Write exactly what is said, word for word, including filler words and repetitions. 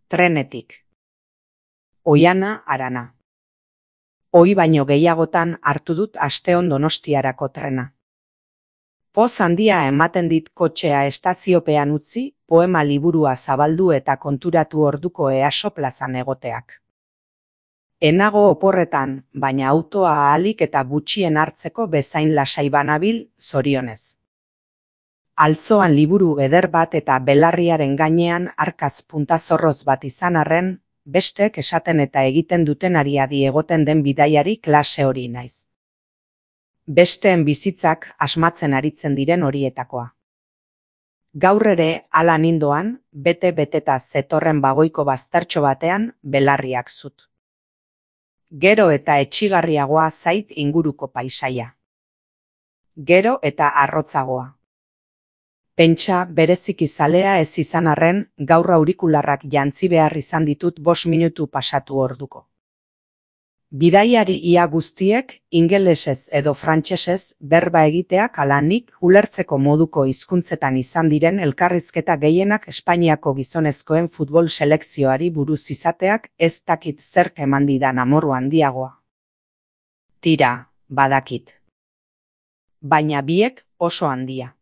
Trenetik. Oiana Arana. Ohi baino gehiagotan hartu dut asteon Donostiarako trena. Poz handia ematen dit kotxea estaziopean utzi, poema liburua zabaldu eta konturatu orduko EASO plazan egoteak. Enago oporretan, baina autoa ahalik eta gutxien hartzeko bezain lasai banabil, zorionez. Altzoan liburu eder bat eta belarriaren gainean arkaz puntazorroz bat izan arren, bestek esaten eta egiten dutenari adi egoten den bidaiari klase hori naiz. Besteen bizitzak asmatzen aritzen diren horietakoa. Gaur ere, hala nindoan, bete-beteta zetorren bagoiko baztertxo batean belarriak zut. Gero eta etxigarriagoa zait inguruko paisaia. Gero eta arrotzagoa. Pentsa bereziki zalea ez izan arren, gaur aurikularrak jantzi behar izan ditut bost minutu pasatu orduko. Bidaiari ia guztiek, ingelesez edo frantsesez berba egiteak ala nik ulertzeko moduko hizkuntzetan izan diren elkarrizketa gehienak Espainiako gizonezkoen futbol selekzioari buruz izateak ez dakit zerk eman didan amoru handiagoa. Tira, badakit. Baina biek oso handia.